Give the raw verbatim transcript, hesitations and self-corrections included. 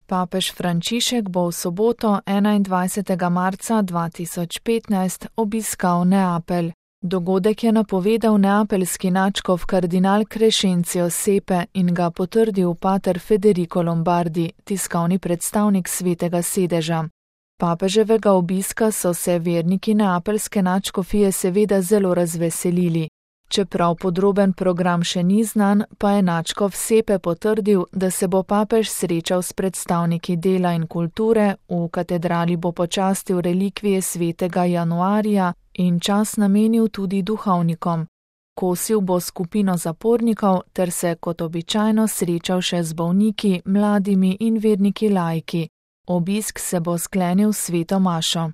Papež Frančišek bo v soboto enaindvajsetega marca dva tisoč petnajst obiskal Neapelj. Dogodek je napovedal neapeljski nadškof kardinal Crescencio Sepe in ga potrdil pater Federico Lombardi, tiskovni predstavnik Svetega sedeža. Papeževega obiska so se verniki neapeljske nadškofije seveda zelo razveselili. Čeprav podroben program še ni znan, pa je nadškof Sepe potrdil, da se bo papež srečal s predstavniki dela in kulture, v katedrali bo počastil relikvije svetega Januarija in čas namenil tudi duhovnikom. Kosil bo skupino zapornikov ter se kot običajno srečal še z bolniki, mladimi in verniki laiki. Obisk se bo sklenil s sveto mašo.